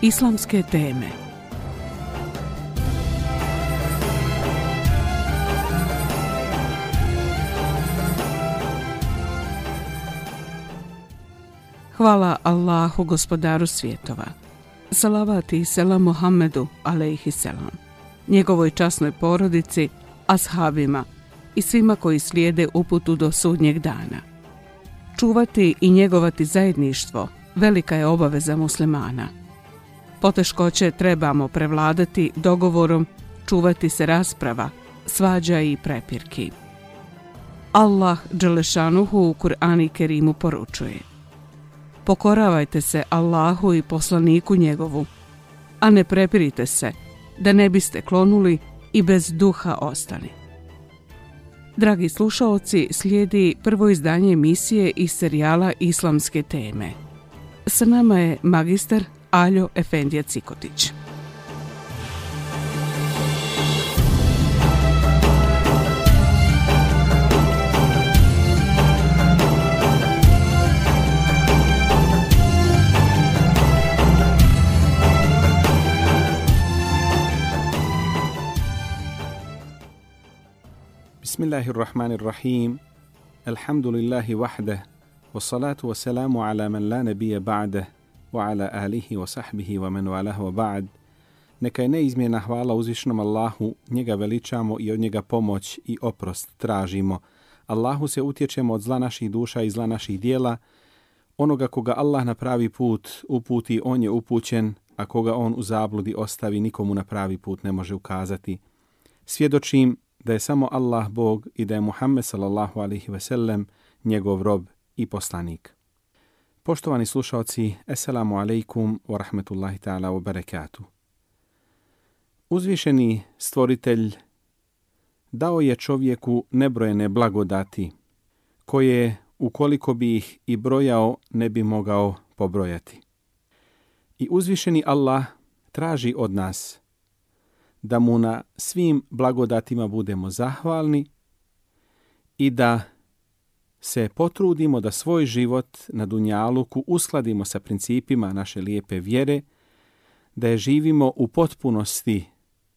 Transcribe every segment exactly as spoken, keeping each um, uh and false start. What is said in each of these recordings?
Islamske teme. Hvala Allahu, gospodaru svjetova. Salavat i selam Muhammedu alejhi selam, njegovoj časnoj porodici, ashabima i svima koji slijede uputu do sudnjeg dana. Čuvati i njegovati zajedništvo velika je obaveza muslimana. Poteškoće trebamo prevladati dogovorom, čuvati se rasprava, svađa i prepirki. Allah dželešanuhu u Kur'anu Kerimu poručuje: pokoravajte se Allahu i poslaniku njegovu, a ne prepirite se, da ne biste klonuli i bez duha ostali. Dragi slušaoci, slijedi prvo izdanje emisije iz serijala Islamske teme. Sa nama je magistar Aljo Efendija Cikotić. Bismillahirrahmanirrahim. Alhamdulillahi wahdah. Wassalatu wassalamu ala man la nabija ba'dah. Wa ala alihi wa sahbihi wa man walahu wa ba'd. Neka je neizmjerna hvala uzvišnom Allahu, njega veličamo i od njega pomoć i oprost tražimo. Allahu se utječemo od zla naših duša i zla naših dijela. Onoga koga Allah na pravi put uputi, on je upućen, a koga on u zabludi ostavi, nikomu na pravi put ne može ukazati. Svjedočim da je samo Allah Bog i da je Muhammed sallallahu alejhi ve sellem njegov rob i poslanik. Poštovani slušaoci, assalamu alaikum wa rahmetullahi ta'ala wa barakatuh. Uzvišeni stvoritelj dao je čovjeku nebrojene blagodati, koje ukoliko bi ih i brojao ne bi mogao pobrojati. I uzvišeni Allah traži od nas da mu na svim blagodatima budemo zahvalni i da se potrudimo da svoj život na dunjaluku uskladimo sa principima naše lijepe vjere, da je živimo u potpunosti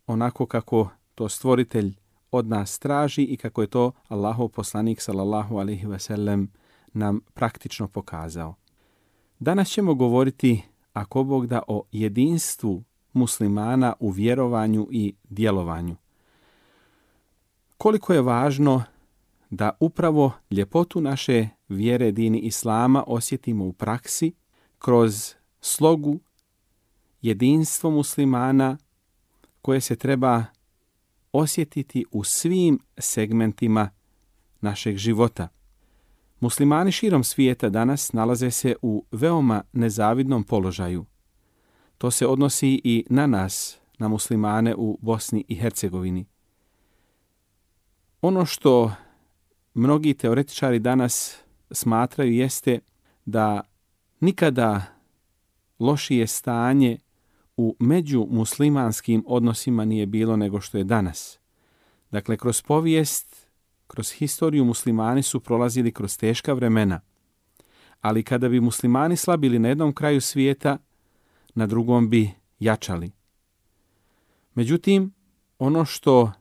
onako kako to stvoritelj od nas traži i kako je to Allahov poslanik sallallahu alejhi ve sellem nam praktično pokazao. Danas ćemo govoriti, ako Bog da, o jedinstvu muslimana u vjerovanju i djelovanju. Koliko je važno da upravo ljepotu naše vjere dini Islama osjetimo u praksi kroz slogu, jedinstvo muslimana koje se treba osjetiti u svim segmentima našeg života. Muslimani širom svijeta danas nalaze se u veoma nezavidnom položaju. To se odnosi i na nas, na muslimane u Bosni i Hercegovini. Ono što mnogi teoretičari danas smatraju jeste da nikada lošije stanje u međumuslimanskim odnosima nije bilo nego što je danas. Dakle, kroz povijest, kroz historiju muslimani su prolazili kroz teška vremena, ali kada bi muslimani slabili na jednom kraju svijeta, na drugom bi jačali. Međutim, ono što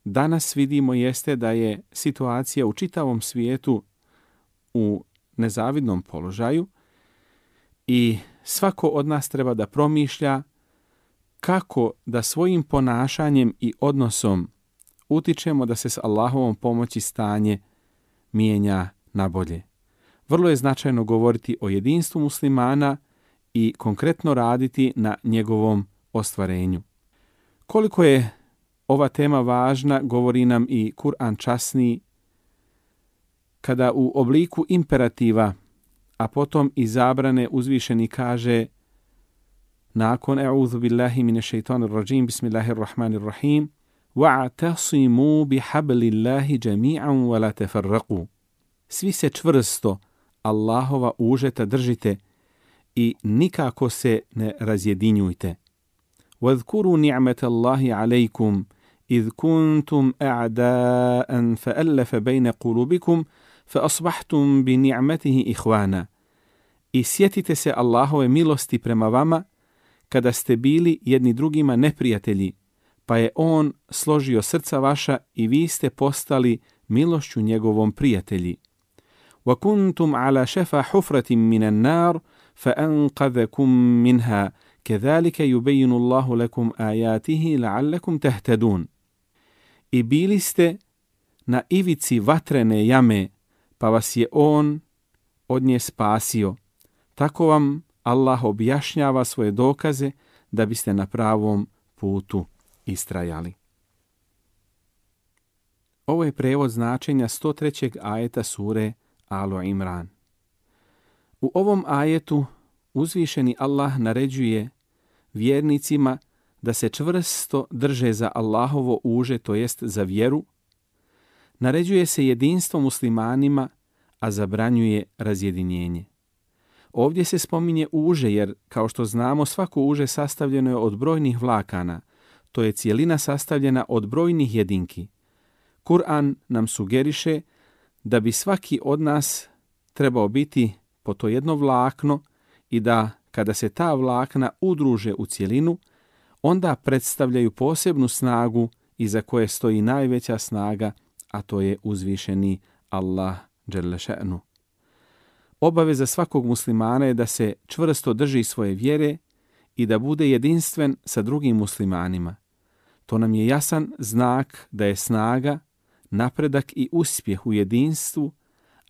danas vidimo jeste da je situacija u čitavom svijetu u nezavidnom položaju i svako od nas treba da promišlja kako da svojim ponašanjem i odnosom utičemo da se s Allahovom pomoći stanje mijenja na bolje. Vrlo je značajno govoriti o jedinstvu muslimana i konkretno raditi na njegovom ostvarenju. Koliko je ova tema važna, govori nam i Kur'an časni, kada u obliku imperativa, a potom i zabrane uzvišeni kaže nakon e'udhu billahi mine šeitanir rajim, bismillahirrahmanirrahim, wa'tasimu bihablillahi jami'an wa la tafarraqu. Svi se čvrsto Allahova užeta držite i nikako se ne razjedinjujte. وَاذْكُرُوا نِعْمَةَ اللَّهِ عَلَيْكُمْ إِذْ كُنْتُمْ أَعْدَاءً فَأَلَّفَ بَيْنَ قُلُوبِكُمْ فَأَصْبَحْتُمْ بِنِعْمَتِهِ إِخْوَانًا. I sjetite se Allahove milosti prema vama, kada ste bili jedni drugima neprijatelji, pa je on složio srca vaša i vi ste postali milošću njegovom prijatelji. وَكُنْتُمْ عَلَى شَفَا حُفْرَةٍ مِّنَ النَّارِ فَأَنْقَذَكُمْ مِنْهَا كَذَلِكَ يُبَيِّنُ اللَّهُ لَكُمْ آيَاتِهِ لَعَلَّكُمْ تَهْتَدُونَ. I bili ste na ivici vatrene jame, pa vas je on od nje spasio. Tako vam Allah objašnjava svoje dokaze da biste na pravom putu istrajali. Ovo je prevod značenja sto trećeg ajeta sure Alu Imran. U ovom ajetu uzvišeni Allah naređuje vjernicima da se čvrsto drže za Allahovo uže, to jest za vjeru. Naređuje se jedinstvo muslimanima, a zabranjuje razjedinjenje. Ovdje se spominje uže jer, kao što znamo, svako uže sastavljeno je od brojnih vlakana. To je cijelina sastavljena od brojnih jedinki. Kur'an nam sugeriše da bi svaki od nas trebao biti po to jedno vlakno i da kada se ta vlakna udruže u cjelinu, onda predstavljaju posebnu snagu iza koje stoji najveća snaga, a to je uzvišeni Allah dželle še'nu. Obaveza svakog muslimana je da se čvrsto drži svoje vjere i da bude jedinstven sa drugim muslimanima. To nam je jasan znak da je snaga, napredak i uspjeh u jedinstvu,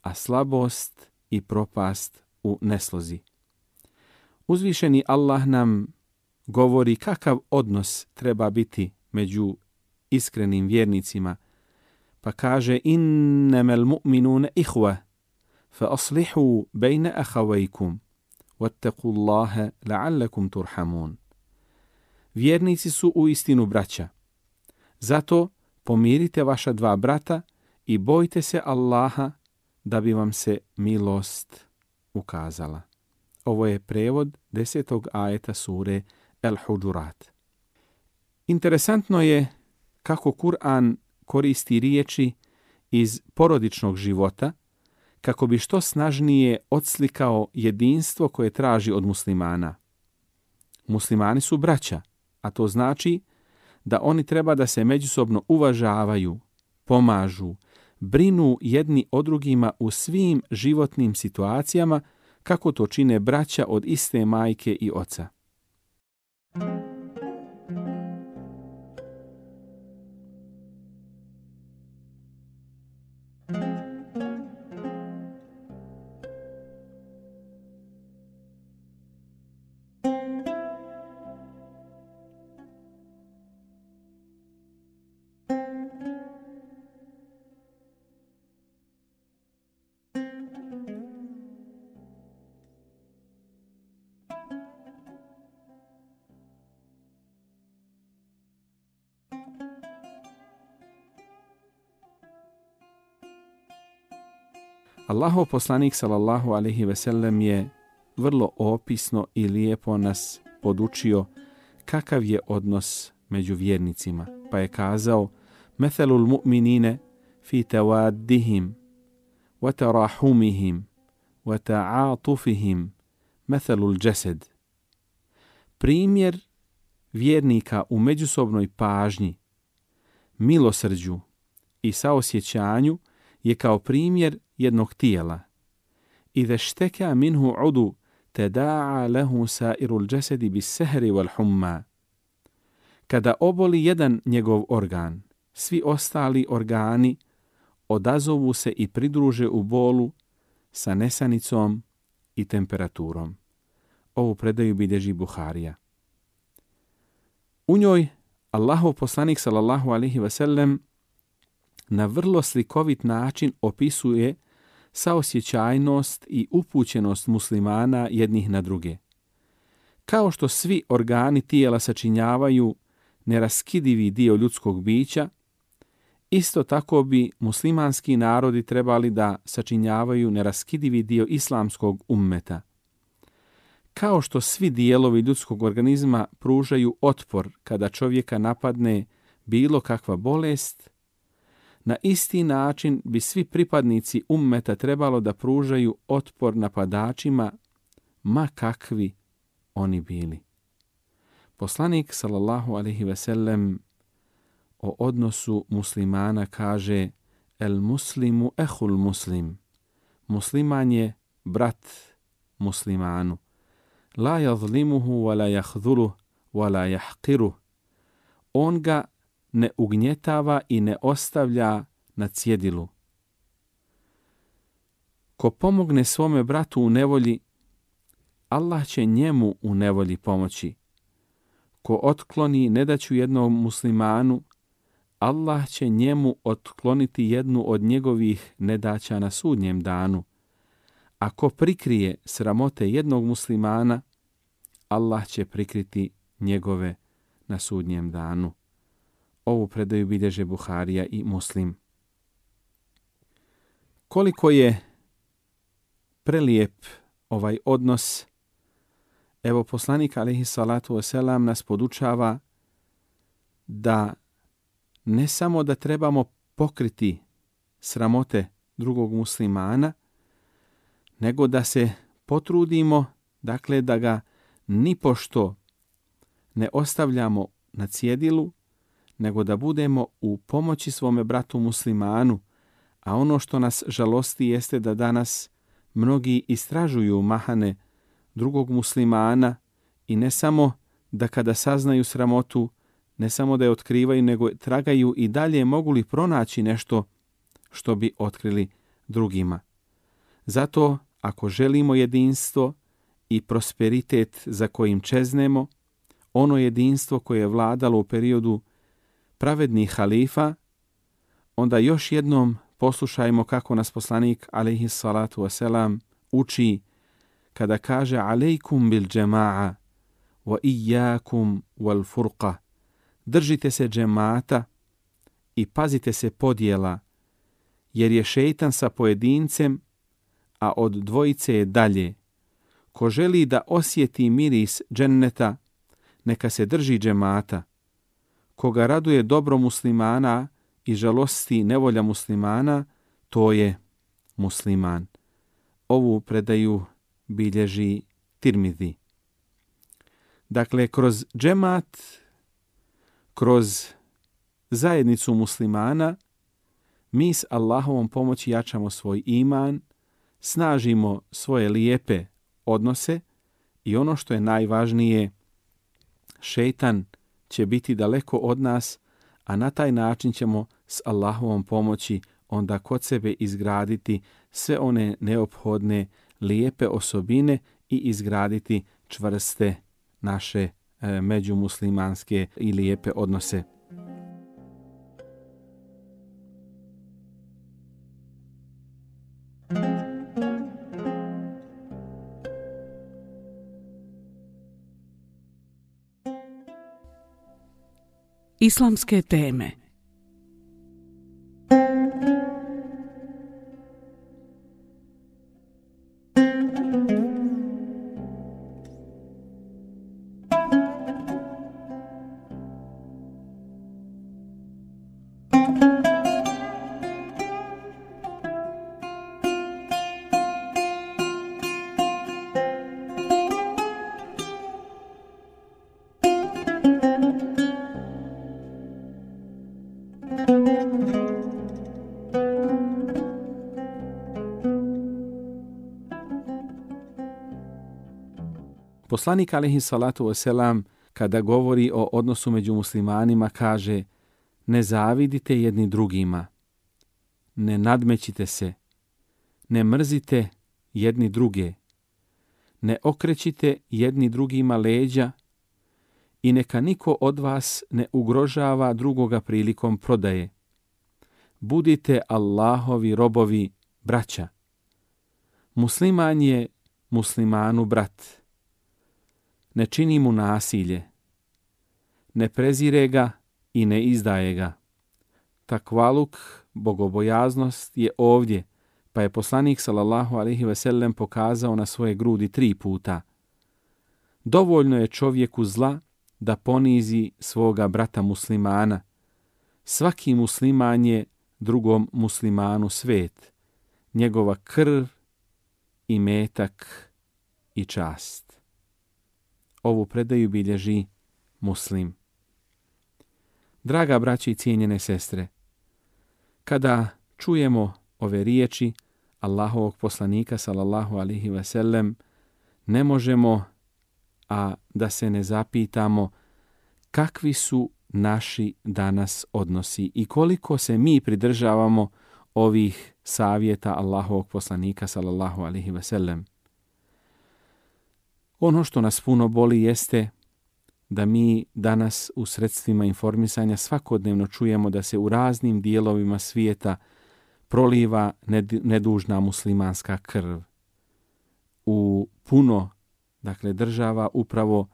a slabost i propast u neslozi. Uzvišeni Allah nam govori kakav odnos treba biti među iskrenim vjernicima, pa kaže: innamal mu'minuna ihwa fa aslihu bayna akhawaykum wattaqullaha la'allakum turhamun. Vjernici su uistinu braća. Zato pomirite vaša dva brata i bojte se Allaha da bi vam se milost ukazala. Ovo je prevod desetog ajeta sure El-Huđurat. Interesantno je kako Kur'an koristi riječi iz porodičnog života kako bi što snažnije odslikao jedinstvo koje traži od muslimana. Muslimani su braća, a to znači da oni treba da se međusobno uvažavaju, pomažu, brinu jedni o drugima u svim životnim situacijama kako to čine braća od iste majke i oca. Allahov poslanik sallallahu alejhi ve sellem je vrlo opisno i lijepo nas podučio kakav je odnos među vjernicima, pa je kazao: "Methalul mu'minine fi tawaddihim wa tarahumihim wa ta'atufihim methalul jasad." Primjer vjernika u međusobnoj pažnji, milosrđu i saosjećanju je kao primjer jednog tijela. Iza šteka minhu udu teda'a lehu sairul jasadi bis sehri wal humma. Kada oboli jedan njegov organ, svi ostali organi odazovu se i pridruže u bolu sa nesanicom i temperaturom. Ovu predaju bilježi Buharija. U njoj Allahov poslanik sallallahu alejhi ve sellem na vrlo slikovit način opisuje saosjećajnost i upućenost muslimana jednih na druge. Kao što svi organi tijela sačinjavaju neraskidivi dio ljudskog bića, isto tako bi muslimanski narodi trebali da sačinjavaju neraskidivi dio islamskog ummeta. Kao što svi dijelovi ljudskog organizma pružaju otpor kada čovjeka napadne bilo kakva bolest, na isti način bi svi pripadnici ummeta trebalo da pružaju otpor napadačima, ma kakvi oni bili. Poslanik sallallahu alejhi ve sellem o odnosu muslimana kaže: El muslimu ehul muslim. Musliman je brat muslimanu. La yazlimuhu wa la yahdhuluhu wa la yahqiruhu. On ga ne ugnjetava i ne ostavlja na cjedilu. Ko pomogne svome bratu u nevolji, Allah će njemu u nevolji pomoći. Ko otkloni nedaću jednom muslimanu, Allah će njemu otkloniti jednu od njegovih nedaća na sudnjem danu. Ako prikrije sramote jednog muslimana, Allah će prikriti njegove na sudnjem danu. Ovu predaju bilježe Buharija i Muslim. Koliko je prelijep ovaj odnos, evo poslanik alejhi salatu vesselam nas podučava da ne samo da trebamo pokriti sramote drugog muslimana, nego da se potrudimo, dakle da ga nipošto ne ostavljamo na cjedilu, nego da budemo u pomoći svome bratu muslimanu, a ono što nas žalosti jeste da danas mnogi istražuju mahane drugog muslimana i ne samo da kada saznaju sramotu, ne samo da je otkrivaju, nego tragaju i dalje mogu li pronaći nešto što bi otkrili drugima. Zato, ako želimo jedinstvo i prosperitet za kojim čeznemo, ono jedinstvo koje je vladalo u periodu pravednih halifa, onda još jednom poslušajmo kako nas poslanik alejhi salatu wasalam uči kada kaže alejkum bil džema'a wa iyyakum wal furqa. Držite se džemata i pazite se podjela, jer je šejtan sa pojedincem, a od dvojice je dalje. Ko želi da osjeti miris dženneta, neka se drži džemata. Koga raduje dobro muslimana i žalosti nevolja muslimana, to je musliman. Ovu predaju bilježi Tirmidhi. Dakle, kroz džemat, kroz zajednicu muslimana, mi s Allahovom pomoći jačamo svoj iman, snažimo svoje lijepe odnose i ono što je najvažnije, šejtan će biti daleko od nas, a na taj način ćemo s Allahovom pomoći onda kod sebe izgraditi sve one neophodne lijepe osobine i izgraditi čvrste naše e, međumuslimanske i lijepe odnose. Islamske teme. Poslanik alejhi salatu vesselam kada govori o odnosu među muslimanima kaže: ne zavidite jedni drugima, ne nadmećite se, ne mrzite jedni druge, ne okrećite jedni drugima leđa i neka niko od vas ne ugrožava drugoga prilikom prodaje. Budite Allahovi robovi, braća. Musliman je muslimanu brat. Ne čini mu nasilje, ne prezire ga i ne izdaje ga. Takvaluk, bogobojaznost je ovdje, pa je poslanik sallallahu alejhi ve sellem pokazao na svoje grudi tri puta. Dovoljno je čovjeku zla da ponizi svoga brata muslimana. Svaki musliman je drugom muslimanu svet, njegova krv, imetak i čast. Ovu predaju bilježi muslim. Draga braći i cijenjene sestre, kada čujemo ove riječi Allahovog poslanika sallallahu alejhi ve sellem, ne možemo a da se ne zapitamo kakvi su naši danas odnosi i koliko se mi pridržavamo ovih savjeta Allahovog poslanika sallallahu alejhi ve sellem. Ono što nas puno boli jeste da mi danas u sredstvima informisanja svakodnevno čujemo da se u raznim dijelovima svijeta proliva nedužna muslimanska krv. U puno, dakle, država upravo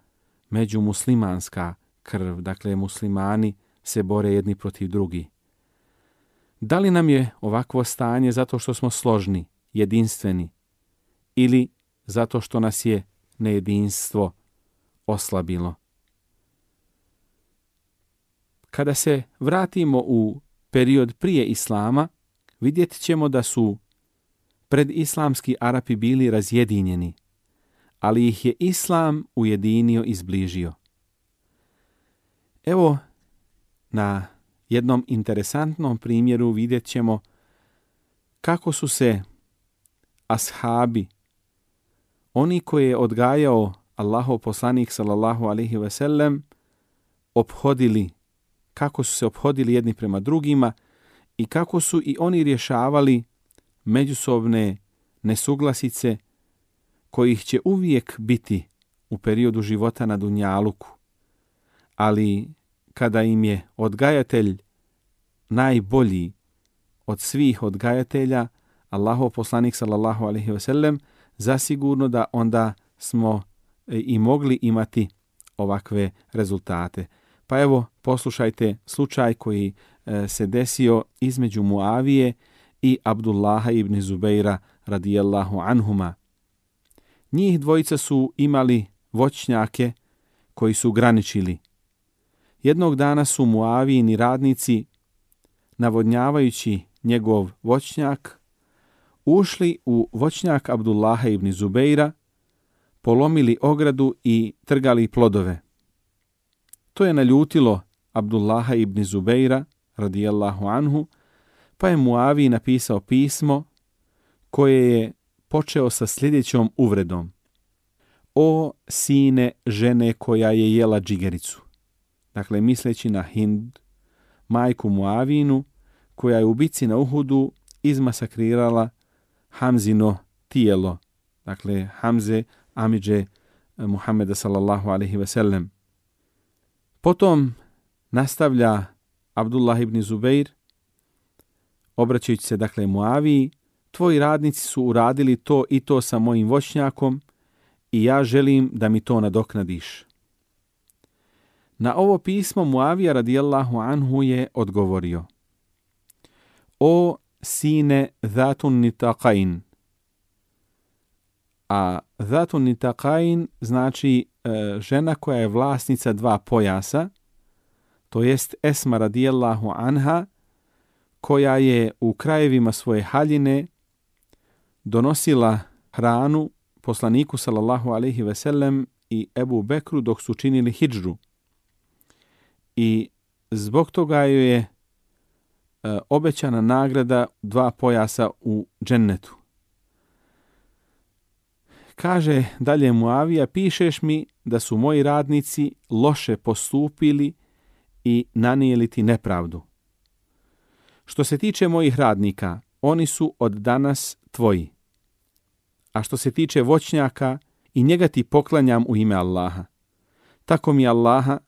međumuslimanska krv, dakle, muslimani se bore jedni protiv drugih. Da li nam je ovakvo stanje zato što smo složni, jedinstveni, ili zato što nas je nejedinstvo oslabilo? Kada se vratimo u period prije Islama, vidjet ćemo da su predislamski Arapi bili razjedinjeni, ali ih je Islam ujedinio i zbližio. Evo, na jednom interesantnom primjeru vidjet ćemo kako su se ashabi, oni koje je odgajao Allahov poslanik sallallahu alejhi ve sellem, ophodili, kako su se ophodili jedni prema drugima i kako su i oni rješavali međusobne nesuglasice kojih će uvijek biti u periodu života na dunjaluku. Ali kada im je odgajatelj najbolji od svih odgajatelja, Allahov poslanik sallallahu alejhi ve sellem, zasigurno da onda smo i mogli imati ovakve rezultate. Pa evo, poslušajte slučaj koji e, se desio između Muavije i Abdullaha ibn Zubeira radijallahu anhuma. Njih dvojica su imali voćnjake koji su graničili. Jednog dana su Muavijini radnici, navodnjavajući njegov voćnjak, ušli u voćnjak Abdullaha ibn Zubeira, polomili ogradu i trgali plodove. To je naljutilo Abdullaha ibn Zubeira radijallahu anhu, pa je Muaviji napisao pismo koje je počeo sa sljedećom uvredom. O sine žene koja je jela džigericu. Dakle, misleći na Hind, majku Muavinu, koja je u bici na Uhudu izmasakrirala Hamzino tijelo. Dakle, Hamze, amidže Muhammeda sallallahu alejhi ve sellem. Potom nastavlja Abdullah ibn Zubeir, obraćajući se, dakle, Muaviji, tvoji radnici su uradili to i to sa mojim voćnjakom i ja želim da mi to nadoknadiš. Na ovo pismo Muavija radijallahu anhu je odgovorio: O sine Zatun Nitaqain. A Zatun Nitaqain znači e, žena koja je vlasnica dva pojasa, to jest Esma radijallahu anha, koja je u krajevima svoje haljine donosila hranu poslaniku sallallahu alejhi ve sellem i Ebu Bekru dok su činili hidžru. I zbog toga joj je e, obećana nagrada dva pojasa u džennetu. Kaže dalje Muavija, pišeš mi da su moji radnici loše postupili i nanijeli ti nepravdu. Što se tiče mojih radnika, oni su od danas tvoji. A što se tiče voćnjaka, i njega ti poklanjam u ime Allaha. Tako mi Allaha,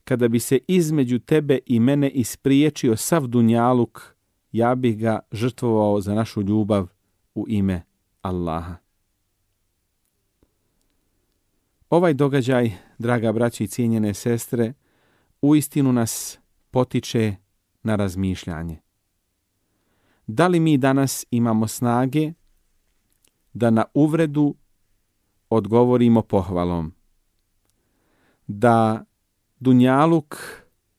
kada bi se između tebe i mene ispriječio sav dunjaluk, ja bih ga žrtvovao za našu ljubav u ime Allaha. Ovaj događaj, draga braći i cijenjene sestre, uistinu nas potiče na razmišljanje. Da li mi danas imamo snage da na uvredu odgovorimo pohvalom? Da dunjaluk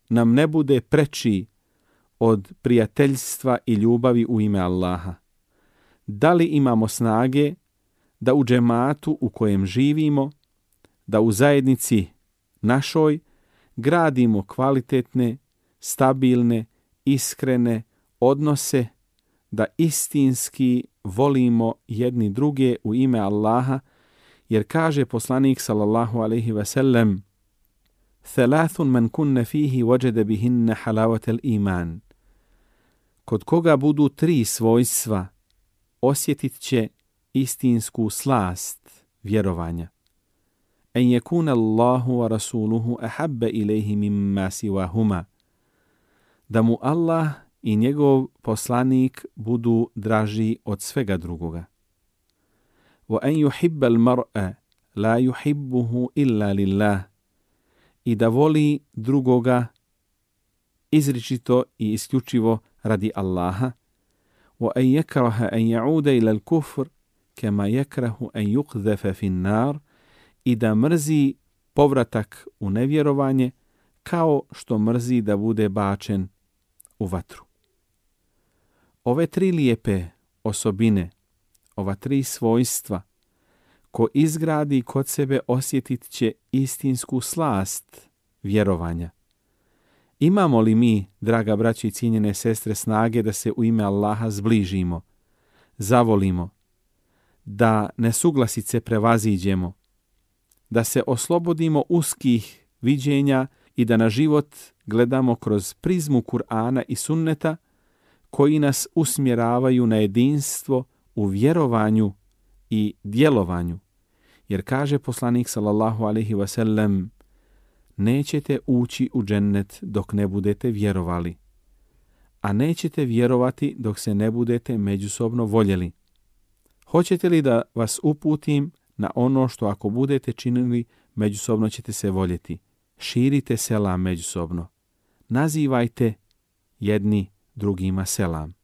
nam ne bude preči od prijateljstva i ljubavi u ime Allaha? Da li imamo snage da u džematu u kojem živimo, da u zajednici našoj gradimo kvalitetne, stabilne, iskrene odnose, da istinski volimo jedni druge u ime Allaha, jer kaže poslanik sallallahu alejhi ve sellem: "Thalathun man kunna fihi wajada bihinna halawatal iman." Kod koga budu tri svojstva, osjetit će istinsku slast vjerovanja. En yakuna Allahu wa rasuluhu ahabba ilayhi mimma siwahuma. Da mu Allah i njegov poslanik budu draži od svega drugoga. Wa an yuhibba al-mar'a la yuhibbuhu illa lillah. I da voli drugoga izričito i isključivo radi Allaha. Wa an yakraha an ya'uda ila al-kufr kama yakrahu an yuqdhafa fi an-nar. I da mrzi povratak u nevjerovanje kao što mrzi da bude bačen u vatru. Ove tri lijepe osobine, ova tri svojstva, ko izgradi kod sebe, osjetit će istinsku slast vjerovanja. Imamo li mi, draga braći i cijenjene sestre, snage da se u ime Allaha zbližimo, zavolimo, da nesuglasice prevaziđemo, da se oslobodimo uskih viđenja i da na život gledamo kroz prizmu Kur'ana i sunneta koji nas usmjeravaju na jedinstvo u vjerovanju i djelovanju. Jer kaže poslanik sallallahu alejhi ve sellem: nećete ući u džennet dok ne budete vjerovali, a nećete vjerovati dok se ne budete međusobno voljeli. Hoćete li da vas uputim na ono što ako budete činili, međusobno ćete se voljeti? Širite selam međusobno. Nazivajte jedni drugima selam.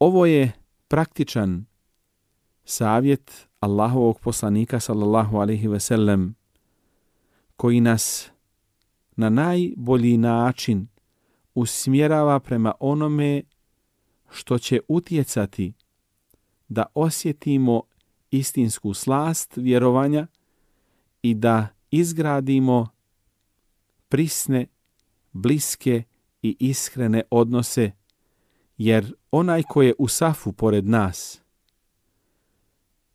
Ovo je praktičan savjet Allahovog poslanika sallallahu alejhi ve sellem koji nas na najbolji način usmjerava prema onome što će utjecati da osjetimo istinsku slast vjerovanja i da izgradimo prisne, bliske i iskrene odnose, jer onaj ko je u safu pored nas,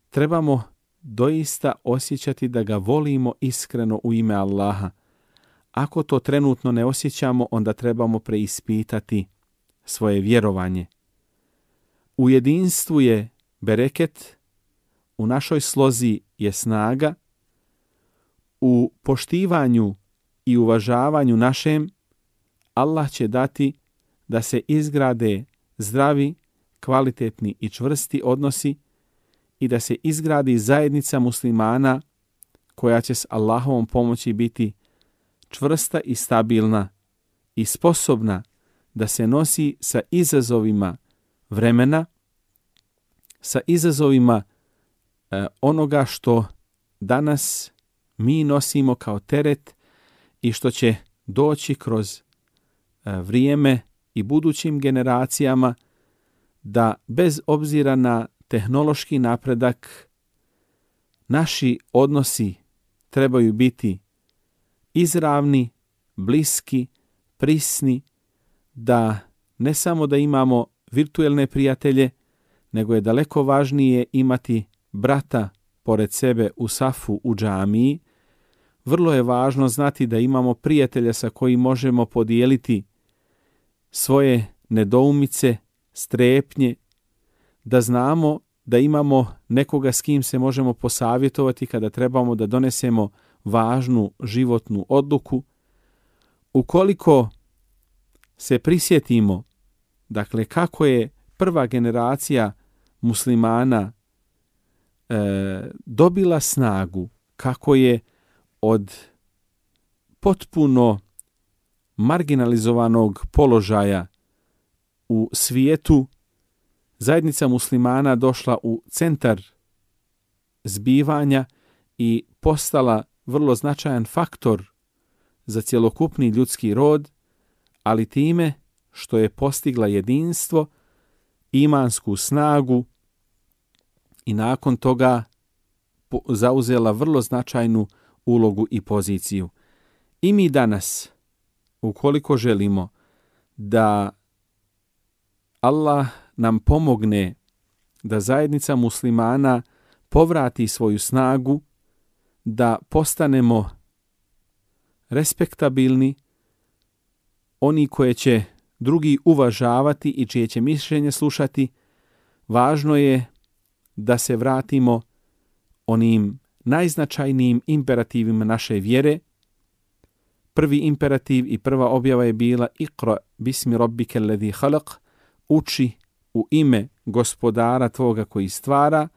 trebamo doista osjećati da ga volimo iskreno u ime Allaha. Ako to trenutno ne osjećamo, onda trebamo preispitati svoje vjerovanje. U jedinstvu je bereket, u našoj slozi je snaga, u poštivanju i uvažavanju našem Allah će dati da se izgrade zdravi, kvalitetni i čvrsti odnosi i da se izgradi zajednica muslimana koja će s Allahovom pomoći biti čvrsta i stabilna i sposobna da se nosi sa izazovima vremena, sa izazovima e, onoga što danas mi nosimo kao teret i što će doći kroz e, vrijeme i budućim generacijama, da bez obzira na tehnološki napredak naši odnosi trebaju biti izravni, bliski, prisni, da ne samo da imamo virtuelne prijatelje, nego je daleko važnije imati brata pored sebe u safu u džamiji. Vrlo je važno znati da imamo prijatelja sa kojim možemo podijeliti svoje nedoumice, strepnje, da znamo da imamo nekoga s kim se možemo posavjetovati kada trebamo da donesemo važnu životnu odluku. Ukoliko se prisjetimo, dakle, kako je prva generacija muslimana e, dobila snagu, kako je od potpuno marginalizovanog položaja u svijetu zajednica muslimana došla u centar zbivanja i postala vrlo značajan faktor za cjelokupni ljudski rod, ali time što je postigla jedinstvo, imansku snagu i nakon toga zauzela vrlo značajnu ulogu i poziciju. I mi danas, ukoliko želimo da Allah nam pomogne da zajednica muslimana povrati svoju snagu, da postanemo respektabilni, oni koje će drugi uvažavati i čije će mišljenje slušati, važno je da se vratimo onim najznačajnijim imperativima naše vjere. Prvi imperativ i prva objava je bila Iqra bismi rabbike alladhi khalaq, uči u ime gospodara tvoga koji stvara.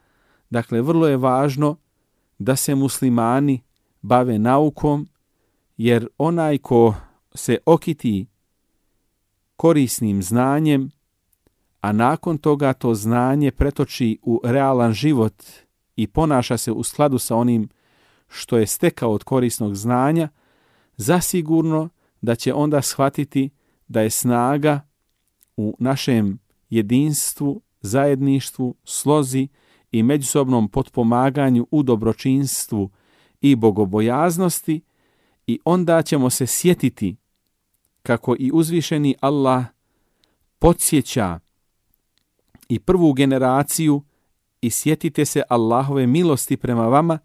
Dakle, vrlo je važno da se muslimani bave naukom, jer onaj ko se okiti korisnim znanjem, a nakon toga to znanje pretoči u realan život i ponaša se u skladu sa onim što je stekao od korisnog znanja, zasigurno da će onda shvatiti da je snaga u našem jedinstvu, zajedništvu, slozi i međusobnom potpomaganju u dobročinstvu i bogobojaznosti, i onda ćemo se sjetiti kako i uzvišeni Allah podsjeća i prvu generaciju i sjetite se Allahove milosti prema vama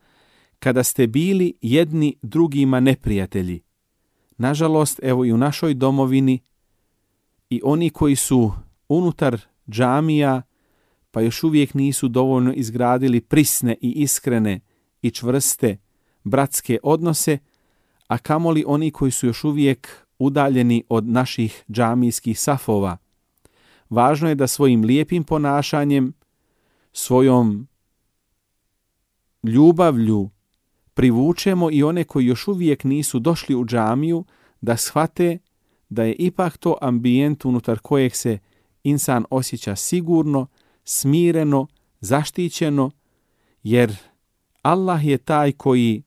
kada ste bili jedni drugima neprijatelji. Nažalost, evo i u našoj domovini i oni koji su unutar džamija pa još uvijek nisu dovoljno izgradili prisne i iskrene i čvrste bratske odnose, a kamoli oni koji su još uvijek udaljeni od naših džamijskih safova. Važno je da svojim lijepim ponašanjem, svojom ljubavlju privučemo i one koji još uvijek nisu došli u džamiju, da shvate da je ipak to ambijent unutar kojeg se insan osjeća sigurno, smireno, zaštićeno, jer Allah je taj koji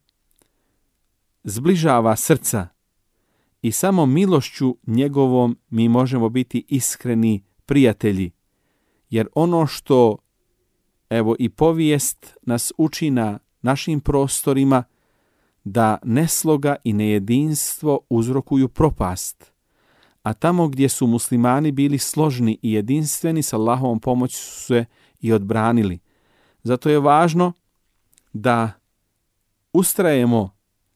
zbližava srca i samo milošću njegovom mi možemo biti iskreni prijatelji. Jer ono što, evo i povijest nas uči na našim prostorima, da nesloga i nejedinstvo uzrokuju propast. A tamo gdje su muslimani bili složni i jedinstveni, s Allahovom pomoći su se i odbranili. Zato je važno da ustrajemo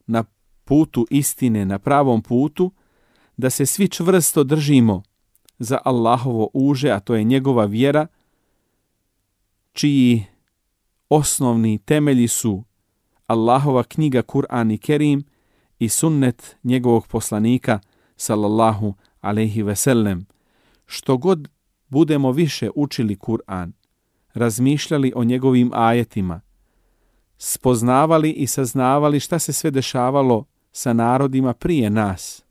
na putu istine, na pravom putu, da se svi čvrsto držimo za Allahovo uže, a to je njegova vjera, čiji osnovni temelji su Allahova knjiga Kur'an i Kerim i sunnet njegovog poslanika sallallahu alejhi ve sellem. Što god budemo više učili Kur'an, razmišljali o njegovim ajetima, spoznavali i saznavali šta se sve dešavalo sa narodima prije nas,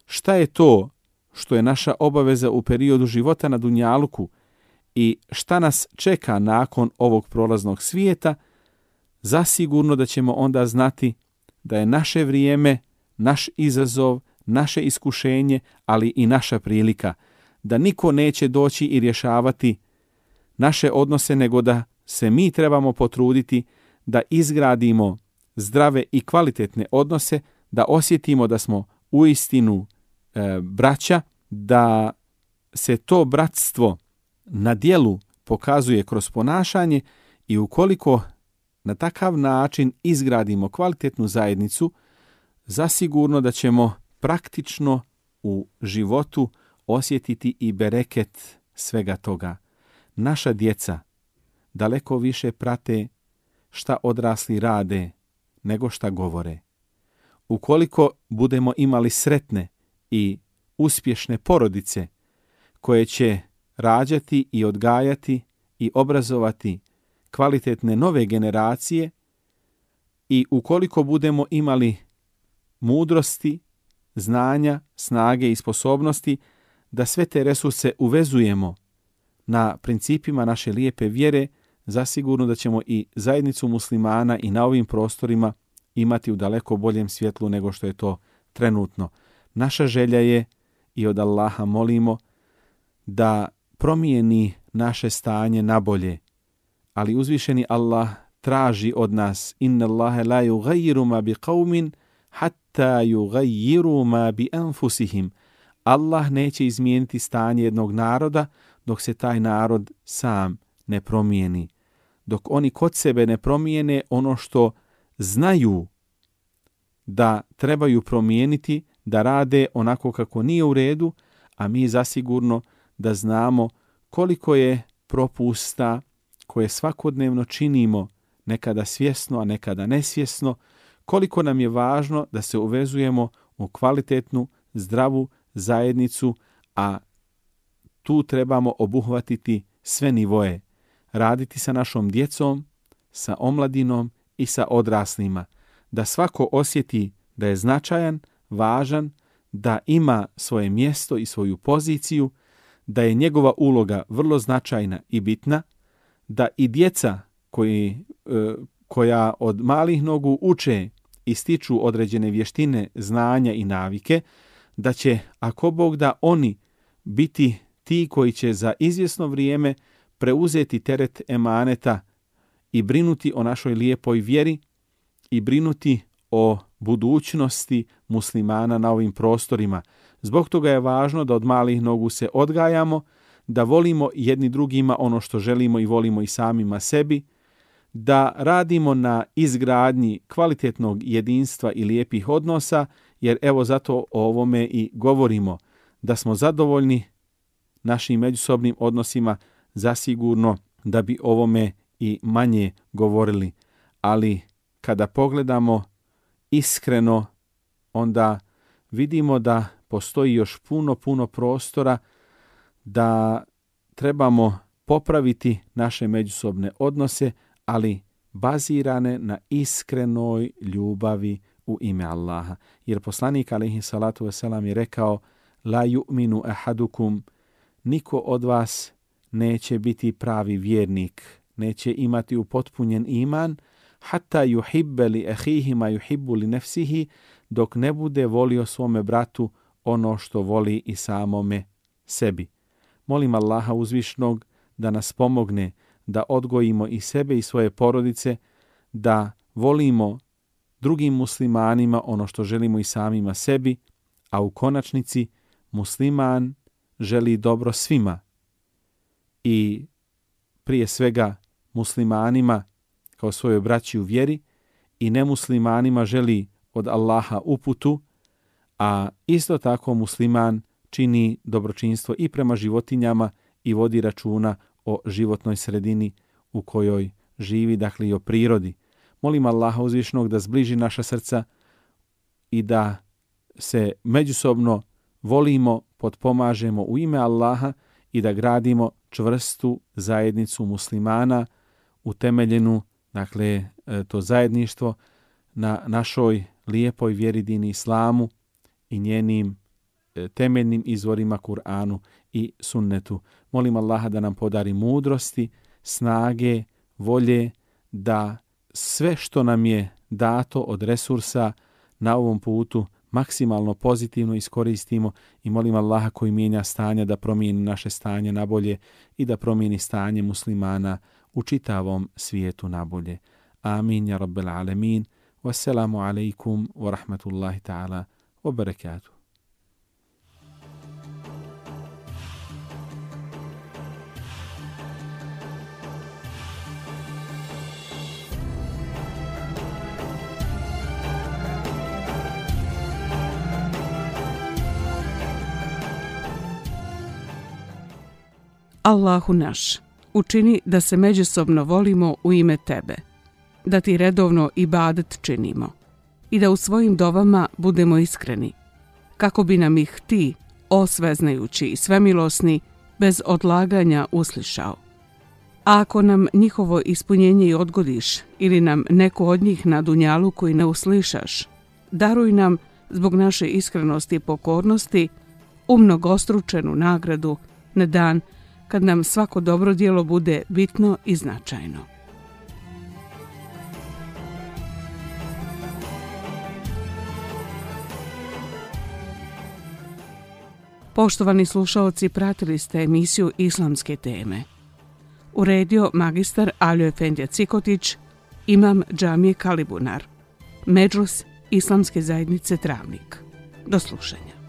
šta je to što je naša obaveza u periodu života na dunjaluku i šta nas čeka nakon ovog prolaznog svijeta, zasigurno da ćemo onda znati da je naše vrijeme, naš izazov, naše iskušenje, ali i naša prilika, da niko neće doći i rješavati naše odnose, nego da se mi trebamo potruditi da izgradimo zdrave i kvalitetne odnose, da osjetimo da smo uistinu e, braća, da se to bratstvo na djelu pokazuje kroz ponašanje i ukoliko na takav način izgradimo kvalitetnu zajednicu, zasigurno da ćemo praktično u životu osjetiti i bereket svega toga. Naša djeca daleko više prate šta odrasli rade nego šta govore. Ukoliko budemo imali sretne i uspješne porodice koje će rađati i odgajati i obrazovati kvalitetne nove generacije i ukoliko budemo imali mudrosti, znanja, snage i sposobnosti da sve te resurse uvezujemo na principima naše lijepe vjere, zasigurno da ćemo i zajednicu muslimana i na ovim prostorima imati u daleko boljem svjetlu nego što je to trenutno. Naša želja je i od Allaha molimo da promijeni naše stanje na bolje, ali uzvišeni Allah traži od nas: inna Allahe la yugayyiru ma bi qawmin hatta yugayyiru ma bi anfusihim. Allah neće izmijeniti stanje jednog naroda dok se taj narod sam ne promijeni. Dok oni kod sebe ne promijene ono što znaju da trebaju promijeniti, da rade onako kako nije u redu, a mi zasigurno da znamo koliko je propusta koje svakodnevno činimo, nekada svjesno, a nekada nesvjesno, koliko nam je važno da se uvezujemo u kvalitetnu, zdravu zajednicu, a tu trebamo obuhvatiti sve nivoe, raditi sa našom djecom, sa omladinom i sa odraslima, da svako osjeti da je značajan, važan, da ima svoje mjesto i svoju poziciju, da je njegova uloga vrlo značajna i bitna, da i djeca koji, koja od malih nogu uče i stiču određene vještine, znanja i navike, da će, ako Bog da, oni biti ti koji će za izvjesno vrijeme preuzeti teret emaneta i brinuti o našoj lijepoj vjeri i brinuti o budućnosti muslimana na ovim prostorima. Zbog toga je važno da od malih nogu se odgajamo, da volimo jedni drugima ono što želimo i volimo i samima sebi, da radimo na izgradnji kvalitetnog jedinstva i lijepih odnosa, jer evo zato o ovome i govorimo, da smo zadovoljni našim međusobnim odnosima, zasigurno da bi ovome i manje govorili. Ali kada pogledamo iskreno, onda vidimo da postoji još puno, puno prostora da trebamo popraviti naše međusobne odnose, ali bazirane na iskrenoj ljubavi u ime Allaha. Jer poslanik alejhi salatu vesselam je rekao: la yu'minu ahadukum, niko od vas neće biti pravi vjernik, neće imati upotpunjen iman, hatta yuhibbe li ahihi ma yuhibbu li nafsihi, dok ne bude volio svome bratu ono što voli i samome sebi. Molim Allaha uzvišnog da nas pomogne da odgojimo i sebe i svoje porodice, da volimo drugim muslimanima ono što želimo i samima sebi, a u konačnici musliman želi dobro svima i prije svega muslimanima kao svojoj braći u vjeri i nemuslimanima želi od Allaha uputu, a isto tako musliman čini dobročinstvo i prema životinjama i vodi računa o životnoj sredini u kojoj živi, dakle i o prirodi. Molim Allaha uzvišnog da zbliži naša srca i da se međusobno volimo, potpomažemo u ime Allaha i da gradimo čvrstu zajednicu muslimana utemeljenu, dakle to zajedništvo na našoj lijepoj vjeri dini islamu i njenim temeljnim izvorima Kur'anu i sunnetu. Molim Allaha da nam podari mudrosti, snage, volje, da sve što nam je dato od resursa na ovom putu maksimalno pozitivno iskoristimo i molim Allaha koji mijenja stanja da promijeni naše stanje na bolje i da promijeni stanje muslimana u čitavom svijetu na bolje. Amin ja rabbel alemin. Wassalamu alaikum wa rahmatullahi ta'ala wa barakatuh. Allahu naš, učini da se međusobno volimo u ime Tebe, da Ti redovno ibadet činimo i da u svojim dovama budemo iskreni, kako bi nam ih Ti, o sveznajući i svemilosni, bez odlaganja uslišao. A ako nam njihovo ispunjenje i odgodiš ili nam neku od njih na dunjalu koji ne uslišaš, daruj nam zbog naše iskrenosti i pokornosti umnogostručenu nagradu na dan kad nam svako dobro djelo bude bitno i značajno. Poštovani slušaoci, pratili ste emisiju Islamske teme. Uredio magistar Aljo Efendija Cikotić, imam džamije Kalibunar, Medžlis Islamske zajednice Travnik. Do slušanja.